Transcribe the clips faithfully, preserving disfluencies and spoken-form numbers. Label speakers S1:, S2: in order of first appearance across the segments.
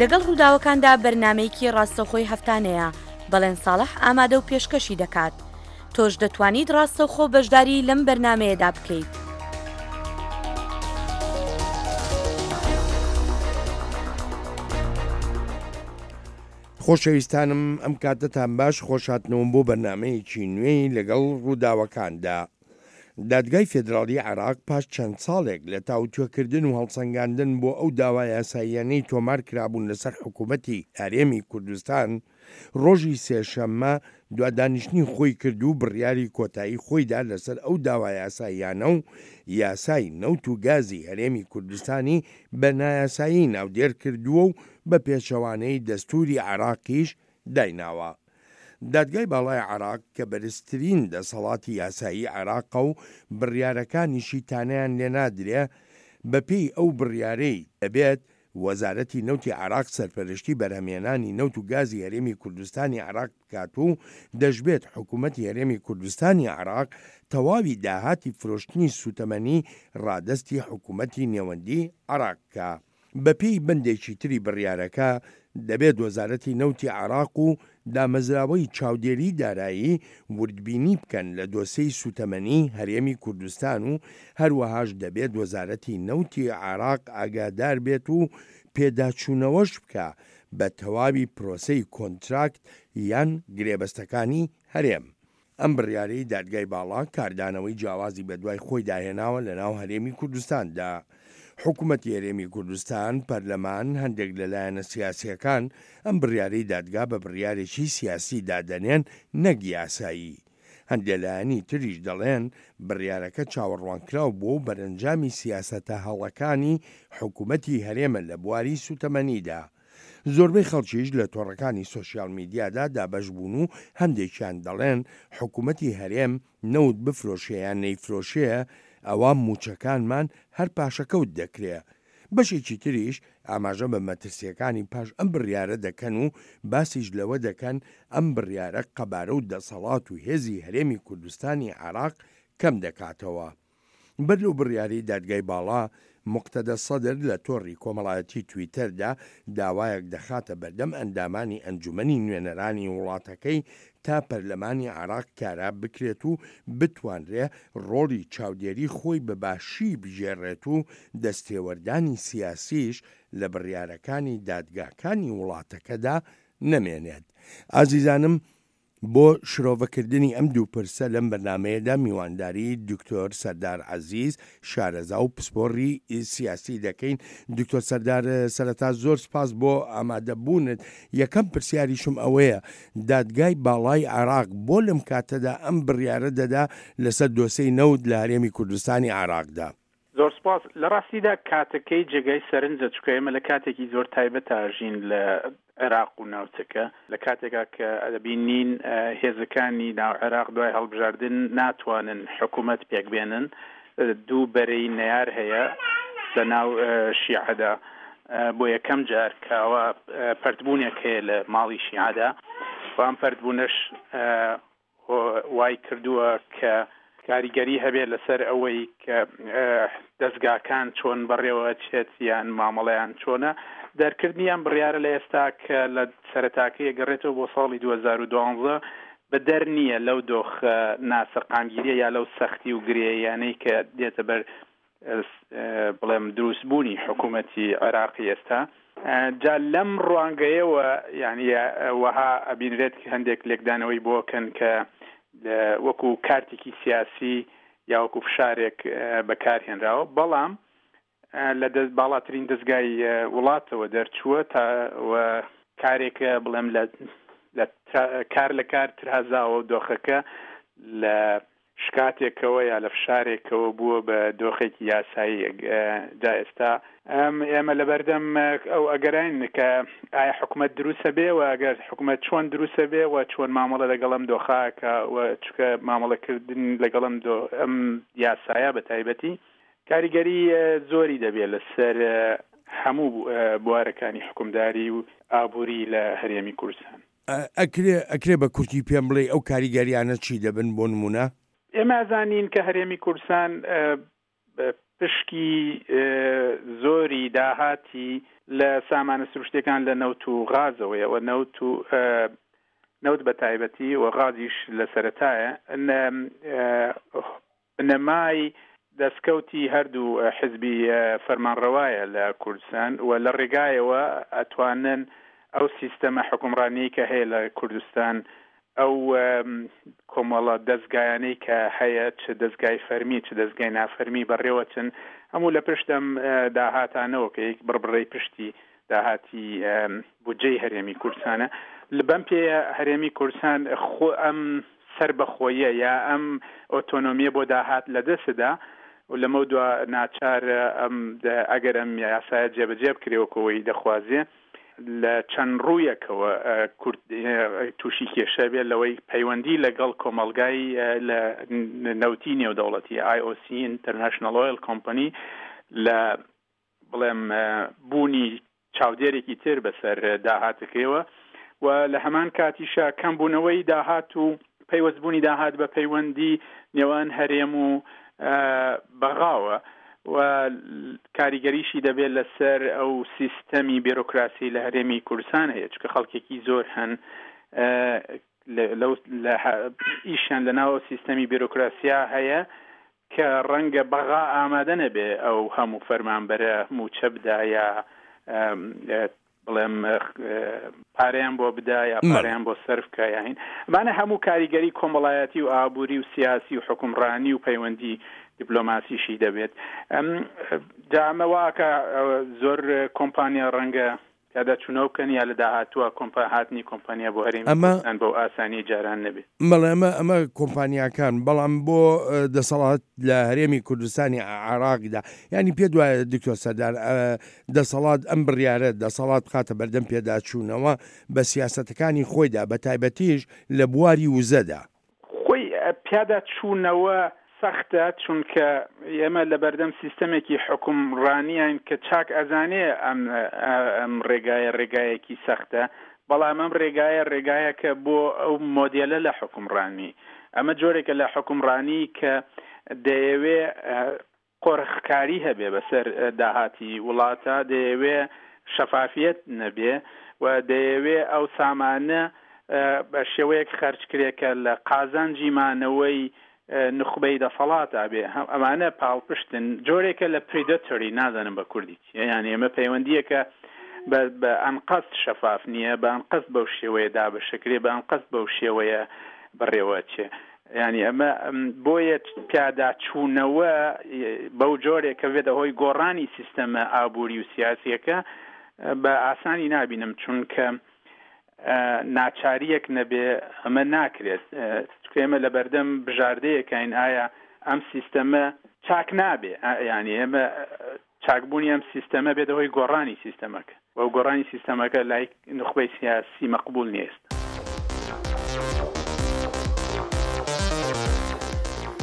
S1: لەگەڵ ڕووداوەکاندا بەرنامەیەکی ڕاستەوخۆی هەفتانەیە، بەڵێن ساڵح ئامادە و پێشکەشی دەکات. تۆش دەتوانیت ڕاستەوخۆ بەشداری لەم بەرنامەیەدا بکەیت.
S2: خۆشەویستانم ئەم کاتەتان باش، خۆشهاتنەوەم بۆ بەرنامەیەکی نوێی لەگەڵ ڕووداوەکاندا. دادگای فێدراڵی عێراق پاش چەند ساڵێک لە تاوتوێکردن و هەڵسەنگاندن بۆ ئەو داوا یاساییانەی تۆمار کرابوون لەسەر حکوومەتی هەرێمی کوردستان، ڕۆژی سێشەممە دوا دانیشتنی خۆی کرد و بڕیاری کۆتایی خۆیدا لەسەر ئەو داوا یاساییانە و یاسای نەوت و گازی هەرێمی کوردستانی بە نایاسایی ناودێر کردووە و بە پێچەوانەی دەستووری عێراقیش دایناوە. دادگای باڵای عێراق کە بەرزترین دەسەڵاتی یاسایی عێراقە و بڕیارەکانیشی تانەیان لێنادرێ، بەپێی ئەو بڕیارەی دەبێت وەزارەتی نەوتی عێراق سەرپەرشتی بەرهەمهێنانی نەوت و گازی هەرێمی کوردستانی عێراق بکات و دەشبێت حکوومەتی هەرێمی کوردستانی عێراق تەواوی داهاتی فرۆشتنی سووتەمەنی ڕادەستی حکوومەتی نێوەندی عێراق بکا. بەپێی بەندێکی تری بڕیارەکە، دەبێت وەزارەتی نەوتی عێراق و دامەزراوەی چاودێری دارایی وردبینی بکەن لە دۆسێی سووتەمەنی هەرێمی کوردستان و هەروەهاش دەبێت وەزارەتی نەوتی عێراق ئاگادار بێت و پێداچوونەوەش بکا بە تەواوی پرۆسەی کۆنتراکت یان گرێبەستەکانی هەرێم. ئەم بڕیارەی دادگای باڵا کاردانەوەی جیاوازی بەدوای خۆیدا هێناوە لەناو هەرێمی کوردستاندا. حکومەتی هەرێمی کوردستان، پەرلەمان، هەندێک لە لایەنە سیاسییەکان ئەم بڕیارەی دادگا بە بڕیارێکی سیاسی دادەنێن نەک یاسایی. هەندێ لایەنی تریش دەڵێن بڕیارەکە چاوەڕوانکراو بووە و بەرەنجامی سیاسەتە هەڵەکانی حکومەتی هەرێمە لە بواری سوتەمەنیدا. زۆربەی خەڵکیش لە تۆڕەکانی سۆشیال میدیادا دابەش بوون و هەندێکیان دەڵێن حکومەتی هەرێم نەوت بفرۆشێ یان نەیفرۆشێ ئەوا مووچەکانمان هەر پاشەکەوت دەکرێ. بەشێکی تریش ئاماژە بە مەترسییەکانی پاش ئەم بڕیارە دەکەن و باسیش لەوە دەکەن ئەم بڕیارە قەبارە و دەسەڵات و هێزی هەرێمی کوردستانی عێراق کەم دەکاتەوە. بەر لەو بڕیارەی دادگای باڵا، موقتەدا سەدر لە تۆڕی کۆمەڵایەتی تویتەردا داوایەک دەخاتە بەردەم ئەندامانی ئەنجومەنی نوێنەرانی وڵاتەکەی تا پەرلەمانی عێراق کارا بکرێت و بتوانرێ ڕۆڵی چاودێری خۆی بە باشی بگێڕێت و دەستێوەردانی سیاسیش لە بڕیارەکانی دادگاکانی وڵاتەکەدا نەمێنێت. ئازیزانم بۆ شرۆڤەکردنی ئەم دوو پرسە لەم بەرنامەیەدا میوانداری دکتۆر سەردار عەزیز شارەزا و پسپۆڕی سیاسی دەکەین. دکتۆر سەردار سەرەتا زۆر سپاس بۆ ئامادەبوونت. یەکەم پرسیاریشم ئەوەیە دادگای باڵای عێراق بۆ لەم کاتەدا ئەم بڕیارە دەدا لەسەر دۆسێی نەوت لە هەرێمی کوردستانی عێراقدا؟
S3: زۆر سپاس. لە ڕاستیدا کاتەکەی جێگای سەرنجە، چونکە ئێمە لە کاتێکی زۆر تایبەت ئاژین لە عێراق و ناوچەکە، لە کاتێکا کە دەبینین هێزەکانی ناو عێراق دوای هەڵبژاردن ناتوانن حکوومەت پێک بێنن، دوو بەرەی نەیار هەیە لە ناو شیعەدا. بۆ یەکەم جار کاوە پەرتبوونێک هەیە لە ماڵی شیعەدا و ئەم پەرتبوونەش وای کردووە کە کاریگەری هەبێت لەسەر ئەوەی کە دەستگاکان چۆن بەڕێوە چێت یان مامەڵەیان چۆنە. دەرکردنی ئەم بڕیارە لە ئێستا کە لە سەرەتاکەی گەڕێتەوە بۆ ساڵی دوو هەزار و دوازدە بەدەر نییە لەو دۆخ ناسەقامگیریە یا لەو سەختی و گرێیانەی کە دێتە بەر بڵێم دروستبوونی حکوومەتی عێراقی ئێستا. جا لەم ڕوانگەیەوە یعنی وەها ئەبینرێت هەندێک لێکدانەوەی بۆکەن کە وەکو کارتێکی سیاسی یا وەکو فشارێک بەکارهێنراوە، بەڵام لە باڵاترین دەستگای وڵاتەوە دەرچووە تا کارێکە بڵێم لە کار لە کار ترازاوە و دۆخەکە لە شکاتێکەوە یا لە فشارێکەوە بووە بە دۆخێکی یاسایی. جا ئێستا ئێمە لەبەردەم ئەو ئەگەراین کە ئایا حکوومەت دروستە بێ و ئەگەر حکوومەت چۆن دروستە بێ و چۆن مامەڵە لەگەڵ ئەم دۆخاکە و چکە مامەڵەکردن لەگەڵ ئەم یاسایە بە تایبەتی کاریگەری زۆری دەبێت لەسەر هەموو بوارەکانی حکومداری و ئابووری لە هەرێمی کوردستان.
S2: ئەکرێ ئەکرێ بە کورتی پێم بڵێ ئەو کاریگەریانە چی دەبن بۆ نمونە؟
S3: ئێمە ئەزانین کە هەرێمی کوردستان پشکی زۆری داهاتی لە سامانە سروشتەکان لە نەوت و غازەوەیە و نەوت و نەوت بە تایبەتی و غازیش لە سەرەتایە. بنەمای دەستکەوتی هەردوو حزبی فەرمانڕەوایە لە کوردستان و لە ڕێگایەوە ئەتوانن ئەو سیستەمە حکومڕانیەی کە هەیە لە کوردستان، ئەو کۆمەڵە دەستگایانەی کە هەیە، چ دەستگای فەرمی چ دەستگای نافەرمی بەڕێوەچن، هەموو لە پشت ئەم داهاتانەوە کە یەک بڕبڕەی پشتی داهاتی بودجەی هەرێمی کوردستانە. بەم پێیە هەرێمی کوردستان خۆ ئەم سەربەخۆیە یا ئەم ئۆتۆنۆمیە بۆ داهات لەدەستدا و لەمە دوا ناچار ئەم ئەگەر ئەم یاسایە جێبەجێ بکرێ وەکەوەی دەخوازێ لە چەند ڕوویەکەوە کورد تووشی کێشە بێت لەوەی پەیوەندی لەگەڵ کۆمەلگای لە نەوتی نێودەوڵەتی I O C International Oil Company لە بڵێم بوونی چاودێرێکی تر بەسەر داهاتەکەیەوە و لە هەمان کاتیشا کەمبوونەوەی داهات و پەیوەستبوونی داهات بە پەیوەندی نێوان هەرێم و بەغاوە و کاریگەریشی دەبێت لەسەر ئەو سیستەمی بیرۆکراسی لە هەرێمی کوردستان هەیە، چونکە خەڵکێکی زۆر هەن ئیشیان لەناو سیستەمی بیرۆکراسیا هەیە کە ڕەنگە بەغا ئامادە نەبێ ئەو هەموو فەرمانبەرە موچە بدا یا بڵێم پارەیان بۆ بدا یا پارەیان بۆ سەرف بکە. یاهین ئەمانە هەموو کاریگەری کۆمەڵایەتی و ئابووری و سیاسی و حکومڕانی و پەیوەندی دیپلۆماسیشی دەبێت. جا ئەمە واکە زۆر کۆمپانیا ڕەنگە پیاداچوونەوە بکەن یا لە داهاتووە هاتنی کۆمپانیا بۆ هەرێمی کوردستان بەو ئاسانی جاران نەبێت.
S2: بەڵێ ئەمە ئەمە کۆمپانیاکان، بەڵام بۆ دەسەڵات لە هەرێمی کوردستانی عێراقدا، یعنی پێ دوایە دکتۆر سەردار دەسەڵات ئەم بڕیارە دەسەڵات بخاتە بەردەم پێداچوونەوە بە سیاسەتەکانی خۆیدا، بە تایبەتیش لە بواری وزەدا.
S3: خۆی پیاداچوونەوە سەختە، چونکە ئێمە لە بەردەم سیستەمێکی حکومڕانیین کە چاک ئەزانێ ئەم ئەم ڕێگایە ڕێگایەکی سەختە، بەڵام ئەم ڕێگایە ڕێگایەکە بۆ ئەو مۆدێلە لە حکومڕانی. ئەمە جۆرێکە لە حکومڕانی کە دەیەوێ قۆرخکاری هەبێ بەسەر داهاتی وڵاتە، دەیەوێ شەفافیەت نەبێ و دەیەوێ ئەو سامانە بە شێوەیەک خەرج کرێکە لە قازانجی مانەوەی نخبەی دەسەڵاتە بێ. ئەمانە پاڵپشتن جۆرێکە لە predatory، نازانم بە کوردی چیە، یعنی ئەمە پەیوەندیەکە بە ئەنقەست شەفاف نییە، بە ئەنقەست بەو شێوەیە دابەشەکرێ، بە ئەنقەست بەو شێوەیە بەڕێوە چێ. یعنی ئەمە بۆیە پیاداچوونەوە بەو جۆرێکە بێتە هۆی گۆڕانی سیستەمە ئابووری و سیاسیەکە بە ئاسانی نابینم، چونکە ناچاریەک نەبێ ئەمە ناکرێت. چونکە ئێمە لە بەردەم بژاردەیەکین ئایا ئەم سیستەمە چاک نابێ، یعنی ئێمە چاکبوونی ئەم سیستەمە بێتە هۆی گۆڕانی سیستەمەکە و گۆڕانی سیستەمەکە لای نوخبەی سیاسی مەقبول نیست.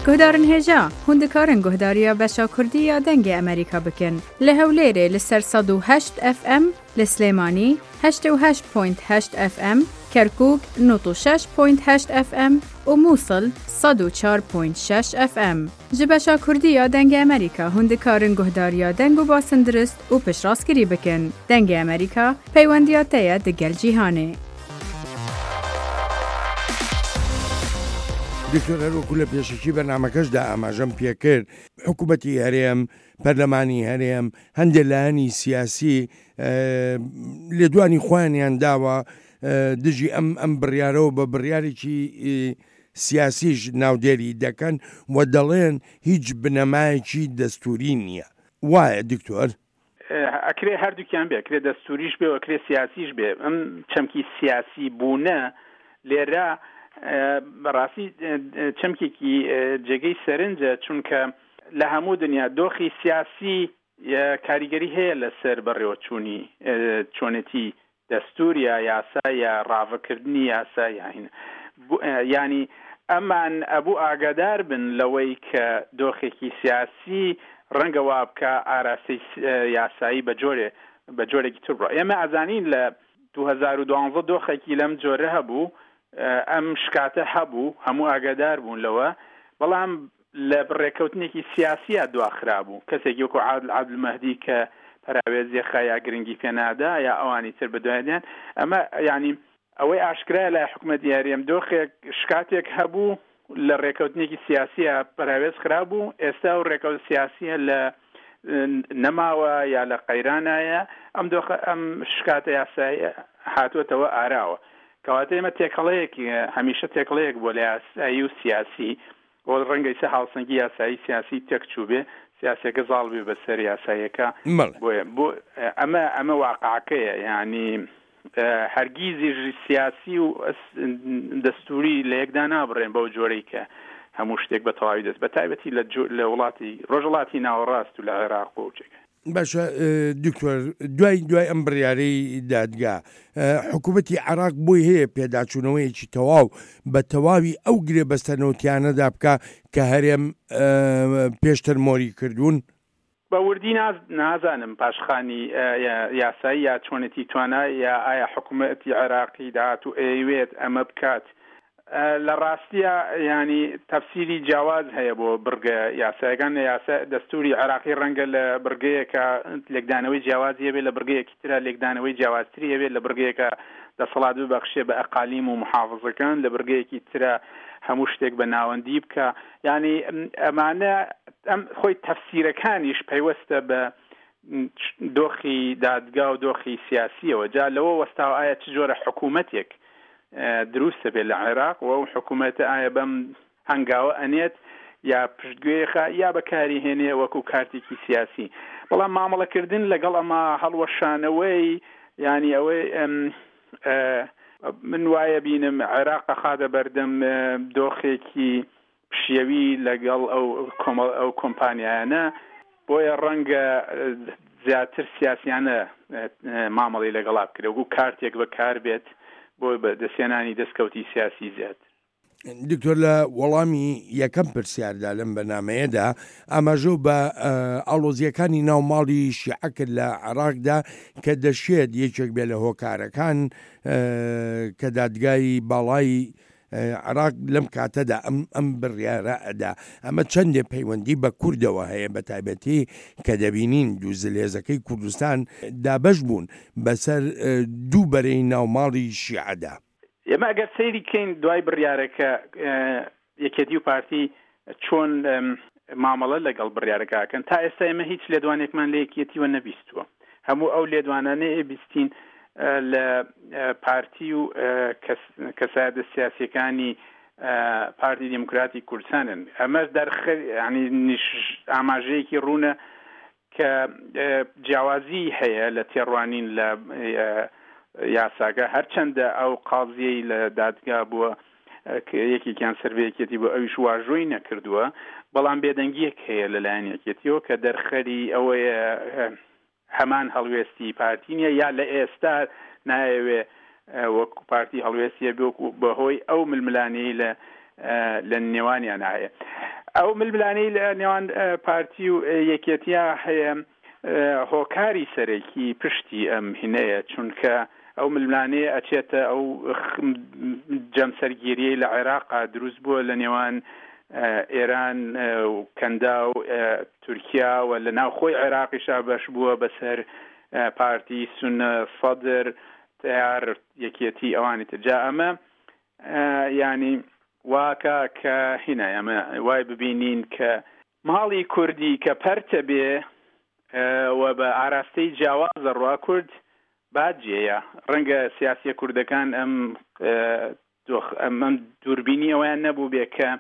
S4: گهدارن هێژا هون دکارن گهداریا بەشا کوردی یا دەنگێ ئەمریکا بکن لە هەولێرێ لەسەر سەد و هەشت ئەف ئەم، لە سلێمانی هەشت و هەشت پوینت هەشت ئەف ئەم، کەرکوک نۆت و شەش پوینت هەشت ئەف ئەم و مووسڵ سەد و چوار پوینت شەش ئەف ئەم. ji beşa Kurdî ya Dengê Amerîka hûn dikarin guhdariya deng û basindurist û piştrastgirî bikin. Dengê Amerîka peywendiya te ye digel cîhanê.
S2: دکتۆر هەروەکو لە پێشەکی بەرنامەکەشدا ئاماژەم پێکرد، حکوومەتی هەرێم، پەرلەمانی هەرێم، هەندێک لایەنی سیاسی لێدوانی خۆیانیان داوە دژی ئەم ئەم بڕیارەوە بە بڕیارێکی سیاسیش ناودێری دەکەن و دەڵێن هیچ بنەمایەکی دەستوری نییە. وایە دکتۆر؟
S3: ئەکرێ هەردووکیان بێ، ئەکرێ دەستوریش بێ و ئەکرێ سیاسیش بێ. ئەم چەمکی سیاسی بوونە لێرە بەڕاستی چەمکێکی جێگەی سەرنجە، چونکە لە هەموو دنیا دۆخی سیاسی کاریگەری هەیە لەسەر بەڕێوەچوونی چۆنێتی دەستور یا یاسا یا ڕاڤەکردنی یاسا. یاهین ینی ئەمان ئەبوو ئاگادار بن لەوەی کە دۆخێکی سیاسی ڕەنگە وا بکە ئاراستەی یاسایی بە جۆرێ بە جۆرێکی تر بڕۆ. ئێمە ئەزانین لە دوو هەزار و دوانزە دۆخێکی لەم جۆرە هەبوو، ئەم شکاتە هەبوو، هەموو ئاگادار بوون لەوە، بەڵام لە ڕێکەوتنێکی سیاسیە دواخرابوو. کەسێکی وەکو عادل عەبدولمەهدی کە پەراوێزی خا یا گرنگی پێنادا یا ئەوانی تر بەدوایدیان، ئەمە یعنی ئەوەی ئاشکرایە لای حکومەتی هەرێم دۆخێک شکاتێک هەبوو لە ڕێکەوتنێکی سیاسیە پەراوێز خرابوو، ئێستا ئەو ڕێکەوت سیاسیە لە نەماوە یا لە قەیرانایە، ئەم دۆخە ئەم شکاتە یاساییە هاتووەتەوە ئاراوە. کەواتە ئێمە تێکەڵەیەک هەمیشە تێکەڵەیەک بووە لە یاسایی و سیاسی، بۆ ڕەنگە ئیستا هاوسەنگی یاسایی سیاسی تێک چوو بێ، سیاسیەکە زاڵ بێ بەسەر یاساییەکە. بۆیە بۆ ئەمە ئەمە واقعەکەیە، یعنی هەرگیزیش سیاسی و دەستوری لە یەکدا نابڕێن بەو جۆرەی کە هەموو شتێک بە تەواوی دەست، بە تایبەتی لە وڵاتی ڕۆژهەڵاتی ناوەڕاست و لە عێراق و جێگە.
S2: باشە دکتۆر، دوای دوای ئەم بڕیارەی دادگا حکوومەتی عێراق بۆی هەیە پێداچوونەوەیەکی تەواو بە تەواوی ئەو گرێبەستە نەوتیانەدا بکە کە هەرێم پێشتر مۆری کردوون؟
S3: بە وردی نازانم پاشخانی یاسایی یا چۆنێتی توانا یا ئایا حکوومەتی عێراقی داهاتوو ئەیەوێت ئەمە بکات. لە ڕاستیە ینی تەفسیری جیاواز هەیە بۆ بڕگە یاسایەکان. لە یاسا دەستوری عێراقی ڕەنگە لە بڕگەیەکە لێکدانەوەی جیاوازی هەبێت، لە بڕگەیەکی ترە لێکدانەوەی جیاوازتری هەبێت، لە بڕگەیەکە دەسەڵات ببەخشێ بە ئەقالیم و محافظەکان، لە بڕگەیەکی ترە هەموو شتێک بە ناوەندی بکە. یعنی ئەمانە ئەم خۆی تەفسیرەکانیش پەیوەستە بە دۆخی دادگا و دۆخی سیاسیەوە. جا لەوە وەستاوە ئایا چ جۆرە حکوومەتێک دروستە بێت لە عێراق و ئەو حکوومەتە ئایا بەم هەنگاوە ئەنێت یا پشتگوێخە یا بەکاری هێنێ وەکو کارتێکی سیاسی. بەڵام مامەڵەکردن لەگەڵ ئەمە هەڵوەشانەوەی یعنی ئەوەی من وایە بینم عێراق ئەخاتە بەردەم دۆخێکی پشیەوی لەگەڵ ئەو کۆمەڵ ئەو کۆمپانیایانە، بۆیە ڕەنگە زیاتر سیاسیانە مامەڵی لەگەڵا بکرێت وەکو کارتێک بەکار بێت بۆ دەستێنانی دەستکەوتی سیاسی زیاتر.
S2: دکتۆر، لە وەڵامی یەکەم پرسیاردا لەم بەرنامەیەدا ئاماژە بە ئاڵۆزیەکانی ناو ماڵی شیعە کرد لە عێراقدا کە دەشێت یەکێک بێ لە هۆکارەکان کە دادگای باڵای عێراق لەم کاتەدا ئەم ئەم بڕیارە ئەدا. ئەمە چەندێ پەیوەندی بە کوردەوە هەیە، بە تایبەتی کە دەبینین دوو زلهێزەکەی کوردستان دابەش بوون بەسەر دوو بەرەی ناوماڵی شیعەدا.
S3: ئێمە ئەگەر سەیری کەین دوای بڕیارەکە یەکێتی و پارتی چۆن مامەڵە لەگەڵ بڕیارەکەکەن، تا ئێستا ئێمە هیچ لێدوانێکمان لە یەکێتیوە نەبیستووە. هەموو ئەو لێدوانانە ئێبیستین لە پارتی و کەسایەتە سیاسیەکانی پارتی دیموکراتی کوردستانن. ئەمەش دەرخەر ینی ئاماژەیەکی ڕوونە کە جیاوازی هەیە لە تێڕوانین لە یاساکە. هەرچەندە ئەو قازیەی لە دادگا بووە یەکێکیان سەر بە یەکێتی بۆ ئەویش واژۆی نەکردووە، بەڵام بێدەنگیەک هەیە لەلایەن یەکێتیەوە کە دەرخەری ئەوەیە هەمان هەڵوێستی پارتی نییە یا لە ئێستا نایەوێ وەکو پارتی هەڵوێستیە بێ بەهۆی ئەو ململانەی لە لە نێوانیان هەیە. ئەو ململانەی لە نێوان پارتی و یەکێتیا هەیە هۆکاری سەرەکی پشتی ئەم هینەیە، چونکە ئەو ململانەیە ئەچێتە ئەو جەمسەرگیریەی لە عێراقا دروست بووە لە نێوان ئێران و کەندا و تورکیا و لە ناوخۆی عێراقیشا بەش بووە بەسەر پارتی سونە، سەدر، تیار، یەکێتی ئەوانی تر. جا ئەمە ینی واکە کە هینە ئەمە وای ببینین کە ماڵی کوردی کە پەرتە بێ و بە ئاراستەی جیاوازە ڕوا کورد باجێیە. ڕەنگە سیاسیە کوردەکان ئەم ئەم دووربینی ئەویان نەبوو بێ کە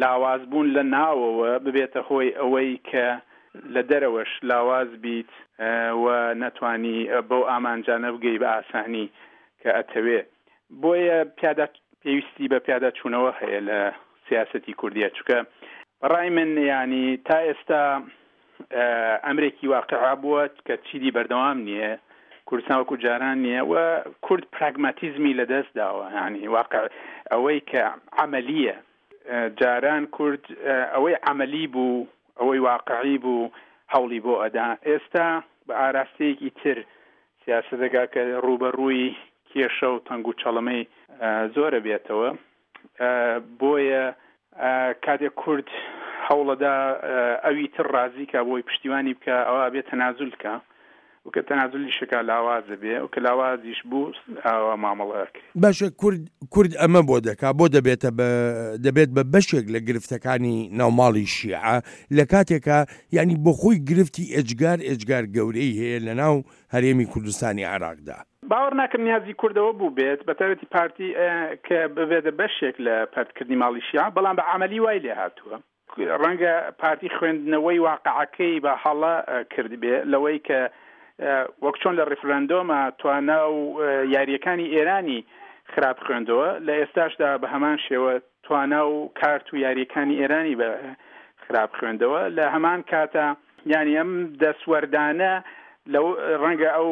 S3: لاواز بوون لە ناوەوە ببێتە هۆی ئەوەی کە لە دەرەوەش لاواز بیت و نەتوانی بەو ئامانجانە بگەی بە ئاسانی کە ئەتەوێ. بۆیە پیادا پێویستی بە پیادا چوونەوە هەیە لە سیاسەتی کوردیە، چونکە بەڕای من ینی تا ئێستا ئەمرێکی واقعا بووە کە چیدی بەردەوام نییە، کوردستان وەکو جاران نییە و کورد پراگماتیزمی لەدەست داوە. ینی واقع ئەوەی کە عەمەلیە، جاران کورد ئەوەی عەمەلی بوو، ئەوەی واقعی بوو هەوڵی بۆ ئەدا. ئێستا بە ئاراستەیەکی تر سیاسەتەکە کە ڕووبەڕووی کێشە و تەنگ و چەڵەمەی زۆرە بێتەوە. بۆیە کاتێک کورد هەوڵەدا ئەوی تر ڕازی کە بۆی پشتیوانی بکە، ئەوە بێ تەنازول کە و کە تەنازولیشەکە لاوازە بێ و کە لاوازیش بوو ئاوا مامەڵە ئەکرێ.
S2: باشە کورد کورد ئەمە بۆ دەکا، بۆ دەبێتە بە دەبێت بە بەشێک لە گرفتەکانی ناوماڵی شیعە لە کاتێکا یعنی بۆ خۆی گرفتی ئێجگار ئێجگار گەورەی هەیە لە ناو هەرێمی کوردستانی عێراقدا.
S3: باوەڕ ناکەم نیازی کوردەوە بوو بێت، بە تایبەتی پارتی کە ببێتە بەشێک لە پەرتکردنی ماڵی شیعە، بەڵام بە عەمەلی وای لێ هاتووە. ڕەنگە پارتی خوێندنەوەی واقعەکەی بە هەڵە کردبێ لەوەی کە وەک چۆن لە ڕیفراندۆمە توانا و یاریەکانی ئێرانی خراپ خوێندەوە، لە ئێستاشدا بە هەمان شێوە توانا و کارت و یاریەکانی ئێرانی بە خراپ خوێندەوە. لە هەمان کاتە یعنی ئەم دەسوەردانە لەو ڕەنگە ئەو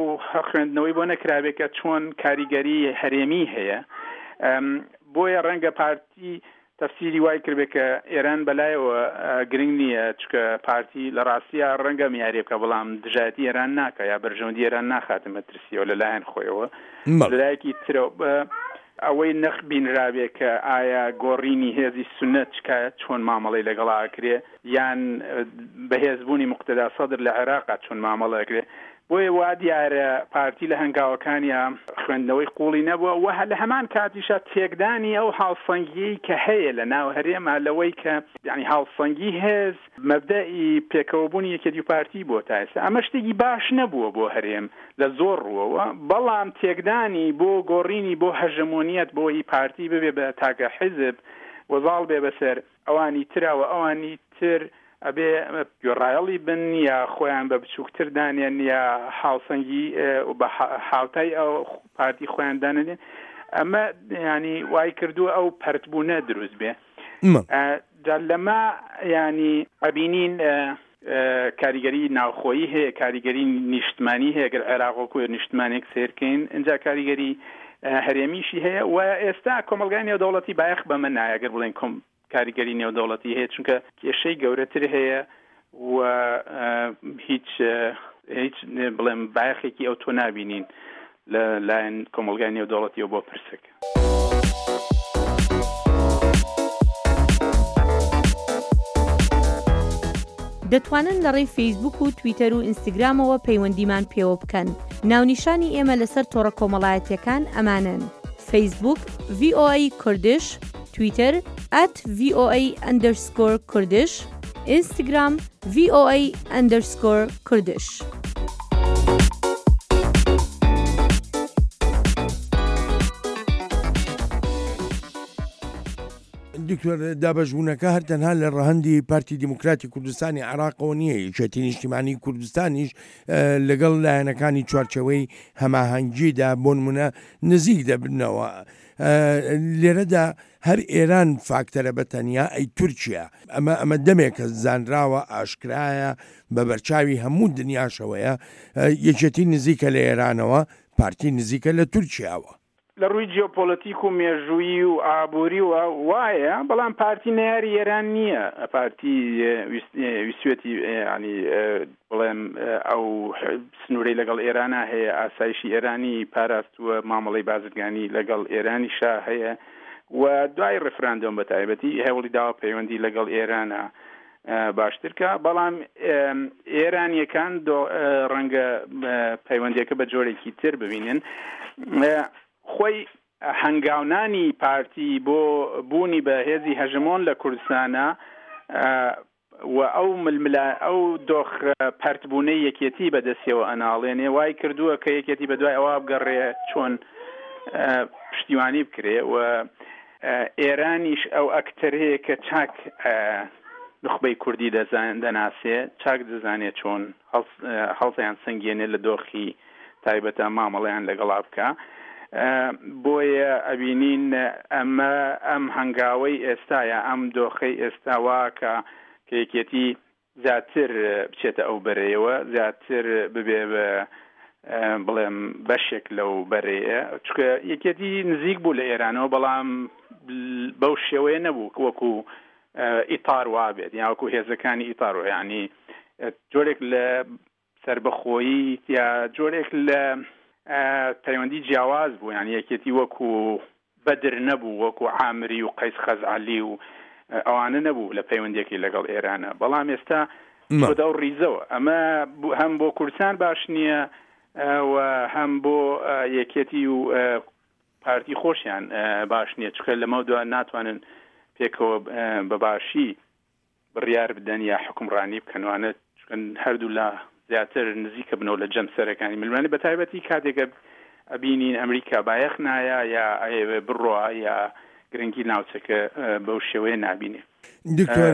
S3: خوێندنەوەی بۆ نەکرابێت کە چۆن کاریگەری هەرێمی هەیە. بۆیە ڕەنگە پارتی تەفسیری وای کردبێت کە ئێران بەلایەوە گرنگ نییە، چکە پارتی لە ڕاستیە ڕەنگە میاری بکە، بەڵام دژایەتی ئێران ناکە یا بەرژەوەندی ئێران ناخاتە مەترسیەوە لەلایەن خۆیەوە. لەلایەکی ترەوە ئەوەی نەخ بینرابێ کە ئایا گۆڕینی هێزی سوننە چکە چۆن مامەڵەی لەگەڵا ئەکرێ، یان بەهێزبوونی موقتەدا سەدر لە عێراقا چۆن مامەڵە ئەکرێ. بۆیە وا دیارە پارتی لە هەنگاوەکانیا خوێندنەوەی قوڵی نەبووە و لە هەمان کاتیشا تێکدانی ئەو هاوسەنگیەی کە هەیە لە ناو هەرێما، لەوەی کە یعنی هاوسەنگی هێز مەبدەئی پێکەوەبوونی یەکێتی و پارتی بۆ تا ئێستا ئەمە شتێکی باش نەبووە بۆ هەرێم لە زۆر ڕووەوە، بەڵام تێکدانی بۆ گۆڕینی بۆ هەژەمۆنیەت بۆ ئی پارتی ببێ بە تاکە حیزب وەزاڵ بێ بەسەر ئەوانی تراوە، ئەوانی تر ئەبێ گوێڕایەڵی بن یا خۆیان بە بچووکتر دانێن یا هاوسەنگی بە هاوتای ئەو پارتی خۆیان دانێن. ئەمە ینی وای کردووە ئەو پەرتبوونە دروست بێ. جا لەمە ینی ئەبینین کاریگەری ناوخۆیی هەیە، کاریگەری نیشتمانی هەیە، گەر عێراق وەکو نیشتمانێک سێرکەین، ئینجا کاریگەری هەرێمیشی هەیە و ئێستا کۆمەڵگای نێودەوڵەتی بایەخ بەمە نایە ئەگەر بڵێن کۆم کاریگەری نێودەوڵەتی هەیە، چونکە کێشەی گەورەتر هەیە و هیچ هیچ بڵێم بایەخێکی ئەو تۆ نابینین لە لایەن کۆمەڵگای نێودەوڵەتیەوە بۆ پرسەکە.
S1: دەتوانن لە ڕێی فەیسبوک و تویتەر و ئینستاگرامەوە پەیوەندیمان پێوە بکەن. ناونیشانی ئێمە لەسەر تۆڕە کۆمەڵایەتیەکان ئەمانن: فەیسبوک ڤی ئۆ ئەی کوردش، تویتەر at ڤی ئۆ ئەی underscore کوردش، ئینستاگرام ڤی ئۆ ئەی underscore کوردش.
S2: دکتۆر، دابەشبوونەکە هەر تەنها لە ڕەهەندی پارتی دیموکراتی کوردستانی عێراقەوە نییە، یەکێتی نیشتیمانی کوردستانیش لەگەڵ لایەنەکانی چوارچێوەی هەماهەنگیدا بۆ نمونە نزیک دەبنەوە. لێرەدا هەر ئێران فاکتەرە بە تەنیا ئەی تورکیا، ئەمە ئەمە دەمێکە زانراوە، ئاشکرایە، بە بەرچاوی هەموو دنیاشەوەیە. یەکێتی نزیکە لە ئێرانەوە، پارتی نزیکە لە تورکیاوە.
S3: لە ڕووی جیۆپۆلەتیک و مێژوویی و ئابووری و وایە، بەڵام پارتی نەیاری ئێران نییە. پارتی ویستوێتی ینی بڵێم ئەو سنوورەی لەگەڵ ئێرانە هەیە، ئاسایشی ئێرانی پاراستووە، مامەڵەی بازرگانی لەگەڵ ئێرانی شا هەیە و دوای ڕیفراندۆم بە تایبەتی هەوڵی داوە پەیوەندی لەگەڵ ئێرانە باشترکە. بەڵام ئێرانیەکان ڕەنگە پەیوەندیەکە بە جۆرێکی تر ببینن. خۆی هەنگاونانی پارتی بۆ بوونی بە هێزی هەژمۆن لە کوردستانە و ئەو ململا ئەو دۆخ پەرتبوونەی یەکێتی بەدەستیەوە ئەناڵێنێ وای کردووە کە یەکێتی بەدوای ئەوە بگەڕێ چۆن پشتیوانی بکرێ و ئێرانیش ئەو ئەکتەرەیە کە چاک نوخبەی کوردی دەناسێ، چاک دەزانێت چۆن هەڵسیان سەنگێنێ لە دۆخی تایبەتە مامەڵەیان لەگەڵا بکە. بۆیە ئەبینین ئەمە ئەم هەنگاوەی ئێستاە، ئەم دۆخەی ئێستا واکە کە یەکێتی زیاتر بچێتە ئەو بەرەیەوە، زیاتر ببێ بە بڵێم بەشێک لەو بەرەیە، چونکە یەکێتی نزیک بوو لە ئێرانەوە، بەڵام بەو شێوەیە نەبوو وەکو ئیتار وابێت یا وەکو هێزەکانی ئیتار، یعنی جۆرێک لە سربەخۆیی یا جۆرێک لە پەیوەندی جیاواز بوو. یعنی یەکێتی وەکو بەدر نەبوو، وەکو عامری و قەیس خەزعەلی و ئەوانە نەبوو لە پەیوەندیەکەی لەگەڵ ئێرانە، بەڵام ئێستا چۆتە ئەو ڕیزەوە. ئەمە هەم بۆ کوردستان باش نییە و هەم بۆ یەکێتی و پارتی خۆشیان باش نییە، چونکە لەمە دوا ناتوانن پێکەوە بە باشی بڕیار بدەن یا حکومڕانی بکەنوانە، چونکە هەردوو لا زیاتر نزیکە بنەوە لە جەمسەرەکانی ململانێ، بە تایبەتی کاتێکە ئەبینین ئەمریکا بایەخ نایە یا ئەیەوێ بڕوا یا گرنگی ناوچەکە بەو شێوەیە نابینێ.
S2: دکتۆر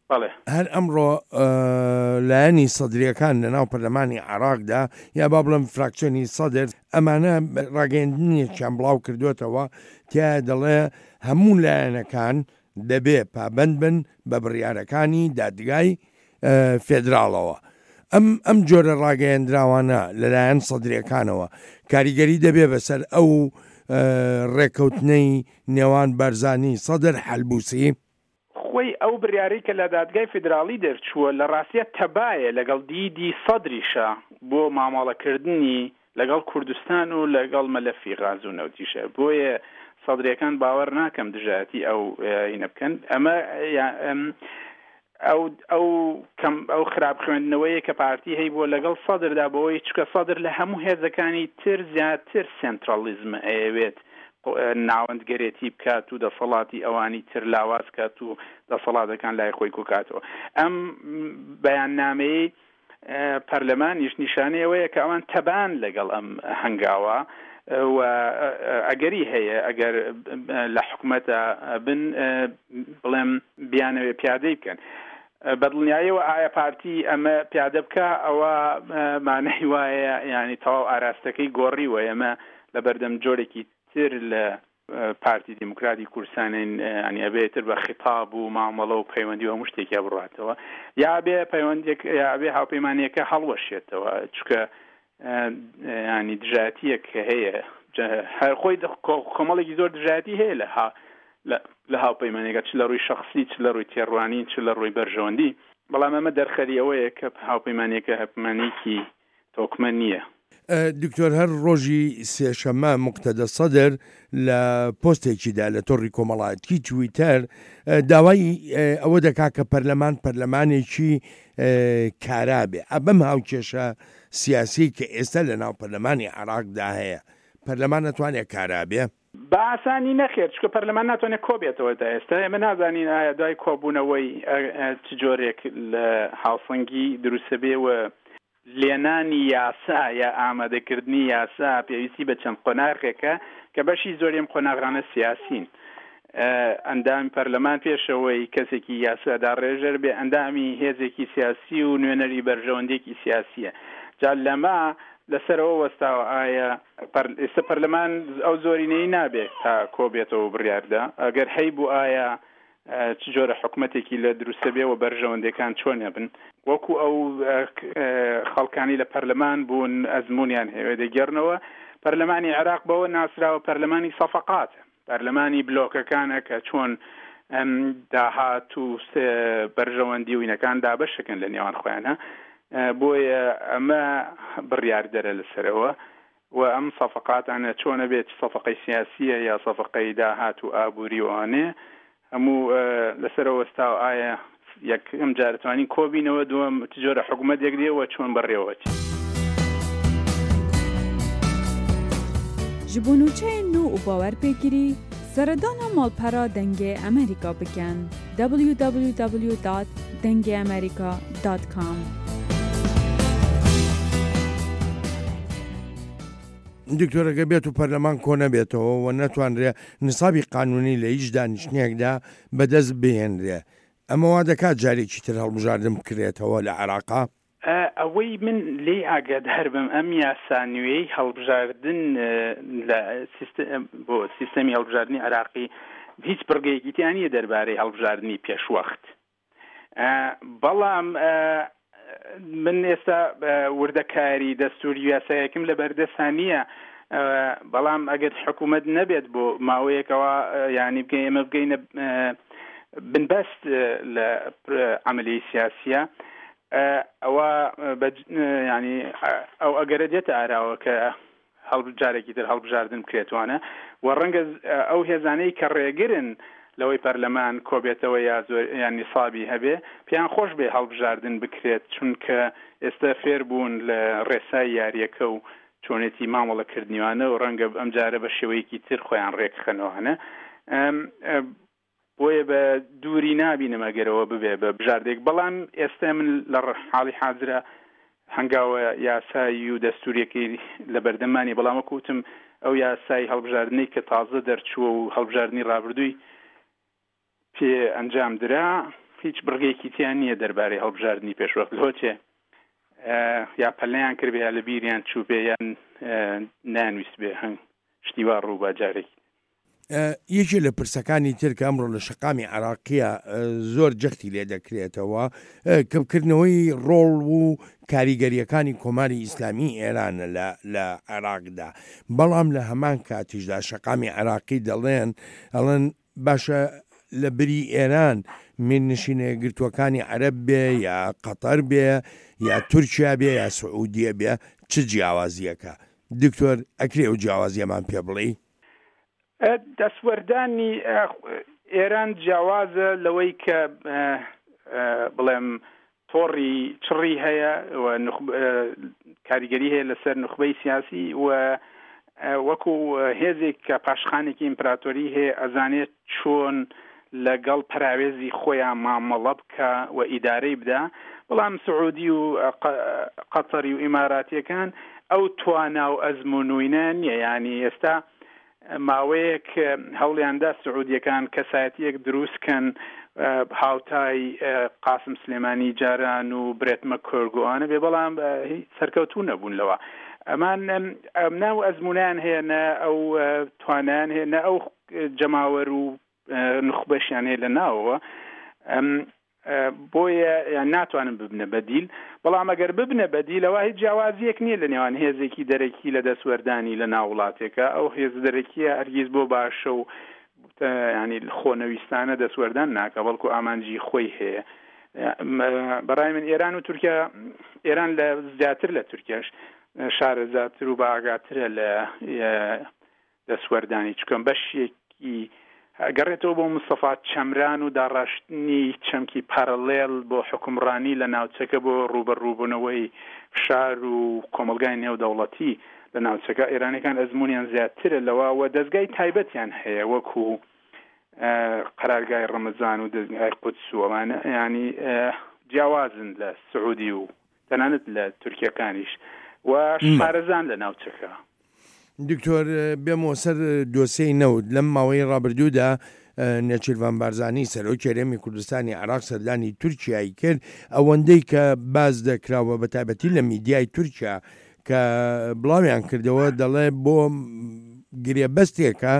S3: بەڵێ
S2: هەر ئەمڕۆ لایەنی سەدریەکان لەناو پەرلەمانی عێراقدا یا با بڵێم فراکسیۆنی سەدر ئەمانە ڕاگەیاندنێکیان بڵاو کردوێتەوە تیا دەڵێ هەموو لایەنەکان دەبێ پابند بن بە بڕیارەکانی دادگای فێدراڵەوە. ئەم ئەم جۆرە ڕاگەیەندراوانە لەلایەن سەدرەکانەوە کاریگەری دەبێ بەسەر ئەو ڕێکەوتنەی نێوان بارزانی سەدر حەلبوسی؟
S3: خۆی ئەو بڕیارەی کە لە دادگای فیدراڵی دەرچووە لە ڕاستیە تەبایە لەگەڵ دیدی سەدریشە بۆ مامەڵەکردنی لەگەڵ کوردستان و لەگەڵ مەلەفی غاز و نەوتیشە. بۆیە سەدرەکان باوەڕ ناکەم دژایەتی ئەو هینە بکەن. ئەمە ئەو ئەو کەم ئەو خراپ خوێندنەوەیە کە پارتی هەیبووە لەگەڵ سەدردا، بەوەی چکە سەدر لە هەموو هێزەکانی تر زیاتر سێنترالیزم ئەیەوێت ناوەندگەرێتی بکات و دەسەڵاتی ئەوانی تر لاواز کات و دەسەڵاتەکان لای خۆی کۆکاتەوە. ئەم بەیاننامەی پەرلەمانیش نیشانەی ئەوەیە کە ئەوان تەبان لەگەڵ ئەم هەنگاوە و ئەگەری هەیە ئەگەر لە حکومەتە بن بڵێم بیانەوێ پیادەی بکەن. بەدڵنیاییەوە ئایا پارتی ئەمە پیادە بکە ئەوە مانای وایە یعنی تەواو ئاراستەکەی گۆڕیوە. ئێمە لە بەردەم جۆرێکی تر لە پارتی دیموکراتی کوردستانین، ینی ئەبێتر بە خیتاب و مامەڵە و پەیوەندی و هەموو شتێکیا بڕاتەوە، یا بێ پەیوەندێک یا بێ هاوپەیمانیەکە هەڵوەشێتەوە، چونکە ینی دژایەتیەک هەیە هەر خۆی کۆمەڵێکی زۆر دژایەتی هەیە لە لە هاوپەیمانیەکە، چ لە ڕووی شەخسی چ لە ڕووی تێڕوانین چ لە ڕووی بەرژەوەندی. بەڵام ئەمە دەرخەری ئەوەیە کە هاوپەیمانیەکە هاوپەیمانیەکی تۆکمە نییە.
S2: دکتۆر هەر ڕۆژی سێشەممە مقتەدە سەدر لە پۆستێکیدا لە تۆڕی کۆمەڵایەتی تویتەر داوای ئەوە دەکا کە پەرلەمان پەرلەمانێکی کارا بێ. ئەبەم هاوکێشە سیاسی کە ئێستا لە ناو پەرلەمانی عێراقدا هەیە، پەرلەمان ناتوانێت کارا بێ؟
S3: بە ئاسانی نەخێر، چونکە پەرلەمان ناتوانێت کۆبێتەوە تا ئێستا. ئێمە نازانین ئایا دوای کۆبوونەوەی چ جۆرێک لە هاوسەنگی دروستە بێ و لێنانی یاسا یا ئامادەکردنی یاسا پێویستی بە چەند قۆناغێکە کە بەشی زۆریم قۆناغانە سیاسین. ئەندامی پەرلەمان پێشەوەی کەسێکی یاسادا ڕێژەر بێ ئەندامی هێزێکی سیاسی و نوێنەری بەرژەوەندێکی سیاسیە. جا لەمە لەسەرەوە وەستاوە ئایا ئێستا پەرلەمان ئەو زۆرینەی نابێت تا کۆبێتەوە بڕیاردا، ئەگەر هەیبوو ئایا چ جۆرە حکومەتێکی لە دروستە بێ و بەرژەوەندەکان چۆن بن؟ وەکو ئەو خەڵکانی لە پەرلەمان بوون ئەزمونیان هەیە دەگێڕنەوە. پەرلەمانی عێراق بەوە ناسراوە پەرلەمانی سەفەقاتە، پەرلەمانی بلۆکەکانە کە چۆن داهات و بەرژەوەندی و وینەکان دابەشەکەن لە نێوان خۆیانە. بۆیە ئەمە بڕیاردەرە لەسەرەوە و ئەم سەفەقاتانە چۆنە بێت، سەفەقەی سیاسیە یا سەفەقەی داهات و ئابووری وانێ هەموو لەسەرەوە وەستاوە. ئایا یەکەم جار توانین کۆبینەوە، دووەم چ جۆرە حکومەتێک دێ و چۆن بەڕێوە چێت.
S4: Ji bo nûçeyên nû û bawer pêkirî seredana malpera Dengê Amerîka bikin w w w dot dengê amerîka dot com.
S2: دکتۆرەکە بێت و پەرلەمان کۆ نەبێتەوە و نەتوانرێ نسابی قانونی لە هیچ دانیشتنێکدا بەدەست بهێنرێ، ئەمە وا دەکات جارێکی تر هەڵبژاردن بکرێتەوە لە عێراقا؟
S3: ئەوەی من لێی ئاگادار بم ئەم یاسا نوێی هەڵبژاردن لە بۆ سیستەمی هەڵبژاردنی عێراقی هیچ بڕگەیەکی تیا نییە دەربارەی هەڵبژاردنی پێشوەخت. بەڵام من ئێستا وردەکاری دەستوری یاسایەکم لە بەردەستا نییە، بەڵام ئەگەر حکوومەت نەبێت بۆ ماوەیەکەوە یعنی بگەین ئێمە بگەینە بنبەست لە عەمەلیەی سیاسیە، ئەوە ینی ئەو ئەگەرە دێتە ئاراوە کە جارێکی تر هەڵبژاردن بکرێتوانە و ڕەنگە ئەو هێزانەی کە ڕێگرن لەوەی پەرلەمان کۆبێتەوە یا زۆر یان نیسابی هەبێ، پێیان خۆش بێ هەڵبژاردن بکرێت، چونکە ئێستا فێر بوون لە ڕێسای یاریەکە و چۆنێتی مامەڵەکردنیوانە و ڕەنگە ئەم جارە بە شێوەیەکی تر خۆیان ڕێکخەنەوانە. بۆیە بە دووری نابینم ئەگەرەوە ببێ بە بژاردێک، بەڵام ئێستا من لە حاڵی حازرە هەنگاوە یاسایی و دەستوریەکەی لە بەردەمانی، بەڵام وەکو وتم ئەو یاسای هەڵبژاردنەی کە تازە دەرچووە و هەڵبژاردنی ڕابردووی پێ ئەنجام درا هیچ بڕگێکی تیان نییە دەربارەی هەڵبژاردنی پێشوەخت. لۆچێ یا پەلەیان کردبێ یا لە بیریان چوو بێ یان نانویست بێ هەنگ شتی وا ڕوو بە جارێکی.
S2: یەکێ لە پرسەکانی تر کە ئەمڕۆ لە شەقامی عراقیە زۆر جەختی لێ دەکرێتەوە کەمکردنەوەی ڕۆڵ و کاریگەریەکانی کۆماری ئیسلامی ئێرانە لە عێراقدا، بەڵام لە هەمان کاتیشدا شەقامی عێراقی دەڵێن ئەڵێن باشە لە بری ئێران میرنشینە یەکگرتووەکانی عەرەب بێ یا قەتەر بێ یا تورکیا بێ یا سعودیە بێ چ جیاوازیەکە؟ دکتۆر ئەکرێ ئەو جیاوازیەمان پێ بڵێی؟
S3: دەستوەردانی ئێران جیاوازە لەوەی کە بڵێم تۆڕی چڕی هەیە و کاریگەری هەیە لەسەر نوخبەی سیاسی و وەکو هێزێک کە پاشخانێکی ئیمپراتۆری هەیە ئەزانێت چۆن لەگەڵ پەراوێزی خۆیان مامەڵە بکە و ئیدارەی بدا. بەڵام سعودی و قەتەری و ئیماراتیەکان ئەو توانا و ئەزموونوینە نییە. یعنی ئێستا ماوەیەک هەوڵیاندا سعودیەکان کەسایەتیەک دروستکەن هاوتای قاسم سلێمانی جاران و برێت مەکۆرگ و ئەوانە بێ، بەڵام سەرکەوتوو نەبوون لەوە. ئەمان ناو ئەزمونیان هەیە، نە ئەو توانیان هەیە، نە ئەو جەماوەر و نوخبەشیان هەیە لە ناوەوە، بۆیە ناتوانن ببنە بەدیل. بەڵام ئەگەر ببنە بەدیلەوە هیچ جیاوازیەک نییە لە نێوان هێزێکی دەرەکی لە دەستوەردانی لە ناو وڵاتێکە. ئەو هێز دەرەکیە هەرگیز بۆ باشە و ینی خۆنەویستانە دەستوەردان ناکە، بەڵکو ئامانجی خۆی هەیە. بەڕای من ئێران و تورکیا، ئێران لە زیاتر لە تورکیاش شارەزاتر و باگاترە لە دەستوەردانی، چکەم بەشێکی گەڕێتەوە بۆ مستەفا چەمران و داڕشتنی چەمکی پارالێل بۆ حکومڕانی لە ناوچەکە بۆ ڕوبەڕووبوونەوەی فشار و کۆمەلگای نێودەوڵەتی لە ناوچەکە. ئێرانەکان ئەزمونیان زیاترە لەوە و دەستگای تایبەتیان هەیە وەکو قەرارگای ڕەمەزان و دەستگای قودس و ئەوانە، ینی جیاوازن لە سعودی و تەنانەت لە تورکیەکانیش و شارەزان لە ناوچەکە.
S2: دکتۆر بێمەوە سەر دۆسیەی نەوت. لەم ماوەی ڕابردوودا نێچیرڤان بارزانی سەرۆکی هەرێمی کوردستانی عێراق سەردانی تورکیای کرد، ئەوەندەی کە باز دەکراوە بە تایبەتی لە میدیای تورکیا کە بڵاویان کردەوە دەڵێ بۆ گرێبەستێکە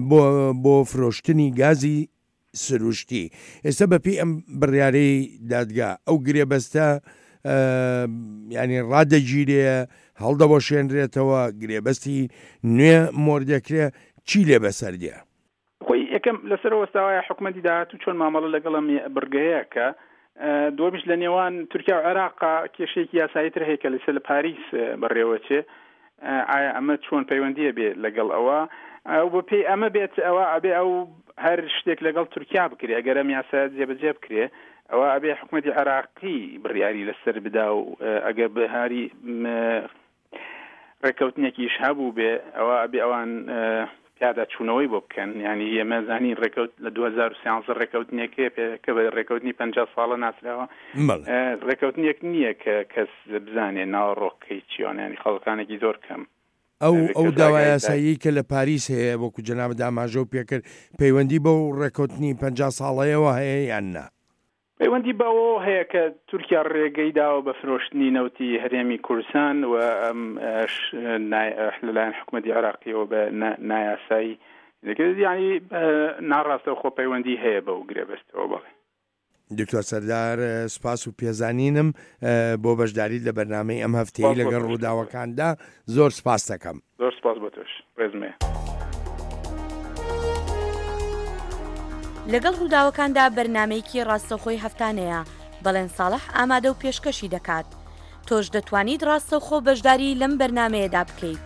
S2: بۆ بۆ فرۆشتنی گازی سروشتی. ئێستا بەپێی ئەم بڕیارەی دادگا ئەو گرێبەستە ینی ڕادەگیرێ، هەڵدەوەشێنرێتەوە، گرێبەستی نوێ مۆر دەکرێ، چی لێ بەسەر دێ؟
S3: خۆی یەکەم لەسەر وەستاوایە حکومەتی داهاتوو چۆن مامەڵە لەگەڵ ئەم بڕگەیە کە دووەمیش لە نێوان تورکیا و عێراق کێشەیەکی یاسایی تر هەیە کە لەسەر لە پاریس بەڕێوەچێ. ئایا ئەمە چۆن پەیوەندیە بێ لەگەڵ ئەوە؟ ئەو بە پێی ئەمە بێت ئەوە ئەبێ ئەو هەر شتێک لەگەڵ تورکیا بکرێ، ئەگەر ئەم یاسا جێبەجێ بکرێ ئەوە ئەبێ حکومەتی عێراقی بڕیاری لەسەر بدا و ئەگەر بەهاری ڕێککەوتنێکیش هەبوو بێ ئەوە ئەبێ ئەوان پیادا چوونەوەی بۆ بکەن. یعنی ئێمە زانین ڕێکەوت لە دوو هەزار و سیانزە ڕێکەوتنێکێ کە بە ڕێکەوتنی پەنجا ساڵە ناسراوە، ڕێکەوتنێک نییە کە کەس بزانێ ناوەڕۆکەی چیۆن، یعنی خەڵکانێکی زۆر کەم.
S2: ئەو ئەو داوا یاسایی کە لە پاریس هەیە وەکو جەنابت ئاماژە و پێکرد پەیوەندی بەو ڕێکەوتنی پەنجا ساڵەیەوە هەیە یان نا؟
S3: پەیوەندی بەوە هەیە کە تورکیا ڕێگەی داوە بە فرۆشتنی نەوتی هەرێمی کوردستان و ئەم لەلایەن حکومەتی عێراقیەوە بە نایاسایی، یعنی ناڕاستەوخۆ پەیوەندی هەیە بەو گرێبەستەوە. بەڵێ
S2: دکتۆر سەردار سپاس و پێزانینم بۆ بەشداریت لە بەرنامەی ئەم هەفتەیە لەگەڵ ڕووداوەکاندا. زۆر سپاس دەکەم.
S3: زۆر سپاس بۆ تۆش، ڕێزمێ.
S1: لەگەڵ ڕووداوەکاندا بەرنمەیەکی ڕاستەوخۆی هەفتانەیە، بەڵێن ساڵح ئامادە و پێشکەشی دەکات. تۆش دەتوانیت ڕاستەوخۆ بەشداری لەم بەرنمەیەدا بکەیت.